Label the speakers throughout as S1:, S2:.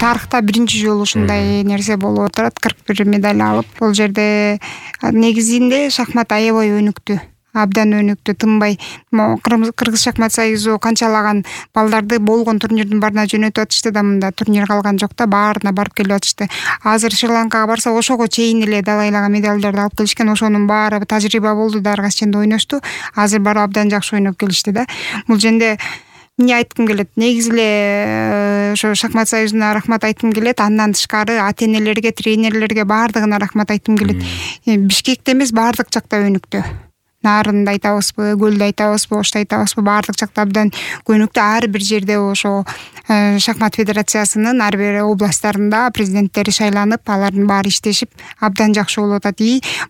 S1: тарыхта биринчи жолу ушундай нерсе болуп отурат. 41 медаль алып, бул жерде негизинде шахмат аябай өнүктү. Абдан өнүктү, тынбай. Кыргыз шахмат союзу канчалаган балдарды болгон турнирдин баарына жөнөтүп атышты да, мында турнир калган жок да, баарына барып келип атышты. Азыр Шри-Ланкага барса ошого чейин эле далайлаган медалдарды алып келишкен. Ошонун баары тажрыйба болду да, ар кайсы жерде ойношту. Азыр барып абдан жакшы ойноп келишти да. Бул жерде эмне айткым келет? Негизи эле ошо шахмат союзуна рахмат айткым келет. Андан тышкары ата-энелерге, тренерлерге баардыгына рахмат айткым келет. Бишкекте эмес, баардык жакта өнүктү. Нарында айтабызбы, Көлдө айтабызбы, Ошто айтабызбы, баардык жакта абдан өнүктү. Ар бир жерде ошо шахмат федерациясынын ар бир областтарында президенттери шайланып, алардын баары иштешип, абдан жакшы болуп атат.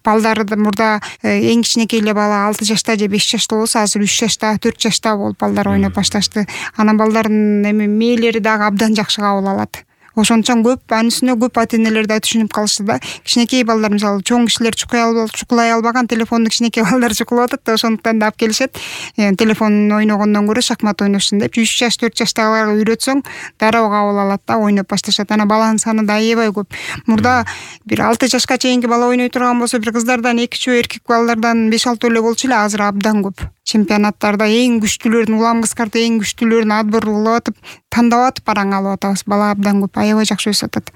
S1: Балдарды мурда эң кичинекей эле бала 6 жашта же 5 жашта болсо, азыр 3 жашта, 4 жашта болуп балдар ойноп башташты. Анан балдардын мээлери дагы абдан жакшы кабыл алат. Ошончон көп, анысына көп ата-энелер да түшүнүп калышты да. Кичинекей балдар, мисалы, чоң кишилер чукулай албаган, телефонду кичинекей балдар чукулап атат да, ошондуктан да алып келишет. Телефон ойногондон көрө шахмат ойношсун деп, 3 жаш, 4 жаштагыларга үйрөтсөң, дароо кабыл алат да, ойноп башташат. Анан баланын саны да аябай көп. Мурда бир 6 жашка чейинки бала ойной турган болсо, бир кыздардан 2-3, эркек балдардан 5-6 эле болчу эле, азыр абдан көп. Чемпионаттарда эң күчтүүлөрүн, улам кыскарта эң күчтүүлөрүн отбор кылып атып, тандап атып бараң алып атабыз. Бала абдан көп, аябай жакшы өсүп атат.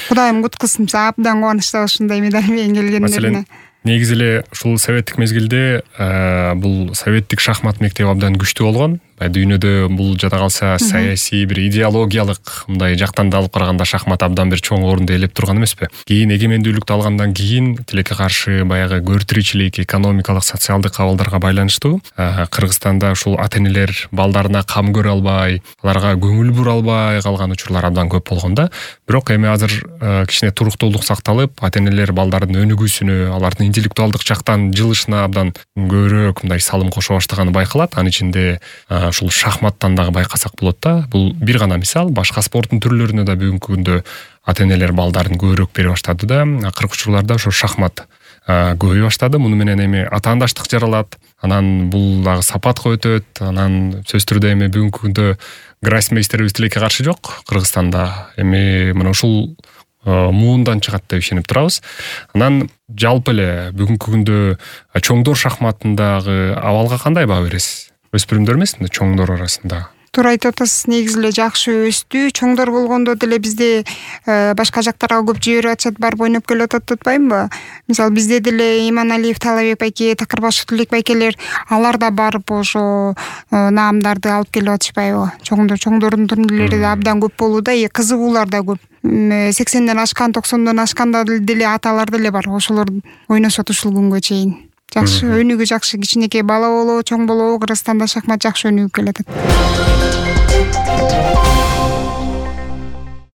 S1: Кудайым куткузсун, абдан кубанычтабыз ушундай медаль менен келгендерине.
S2: Негизи эле ушул советтик мезгилде бул советтик шахмат мектеби абдан күчтүү болгон. Дүйнөдө бул жада калса саясий бир идеологиялык мындай жактан да алып караганда шахмат абдан бир чоң орунду ээлеп турган эмеспи? Кийин эгемендүүлүктү алгандан кийин тилекке каршы баягы көртүрүүчүлүк, экономикалык, социалдык абалдарга байланыштуу Кыргызстанда ушул ата-энелер балдарына кам көрө албай, аларга көңүл бура албай калган учурлар абдан көп болгон да. Бирок эми азыр кичине туруктуулук сакталып, ата-энелер балдардын өнүгүүсүнө, алардын интеллектуалдык жактан жылышына абдан көбүрөөк мындай салым кошо баштаганы байкалат. Анын ичинде ушул шахматтан дагы байкасак болот да. Бул бир гана мисал, башка спорттун түрлөрүнө да бүгүнкү күндө ата-энелер балдарын көбүрөөк бере баштады да. Акыркы учурларда ошо шахмат көбөйө баштады. Муну менен эми атаандаштык жаралат. Анан бул дагы сапатка өтөт. Анан сөзсүз түрдө эми бүгүнкү күндө гроссмейстерибиз тилекке каршы жок Кыргызстанда. Эми мына ушул муундан чыгат деп ишенип турабыз. Анан жалпы эле бүгүнкү күндө чоңдор шахматындагы абалга кандай баа бересиз? Өспүрүмдөр эмес, чоңдор арасында.
S1: Туура айтып атасыз, негизи эле жакшы өстү. Чоңдор болгондо деле бизде башка жактарга көп жиберип атышат, барып ойноп келип атат атпаймынбы? Мисалы, бизде деле Иманалиев, Талабек байке, Такырбашев Тилек байкелер, алар да барып ошо наамдарды алып келип атышпайбы? Чоңдордун турнирлери да абдан көп болууда, кызыгуулар да көп. 80ден ашкан, 90дон ашканда деле аталар деле бар. Ошолор ойношот ушул күнгө чейин. Жакшы, өнүгүү жакшы, кичинекей бала болобу, чоң болобу, Кыргызстанда шахмат жакшы өнүгүп келатат.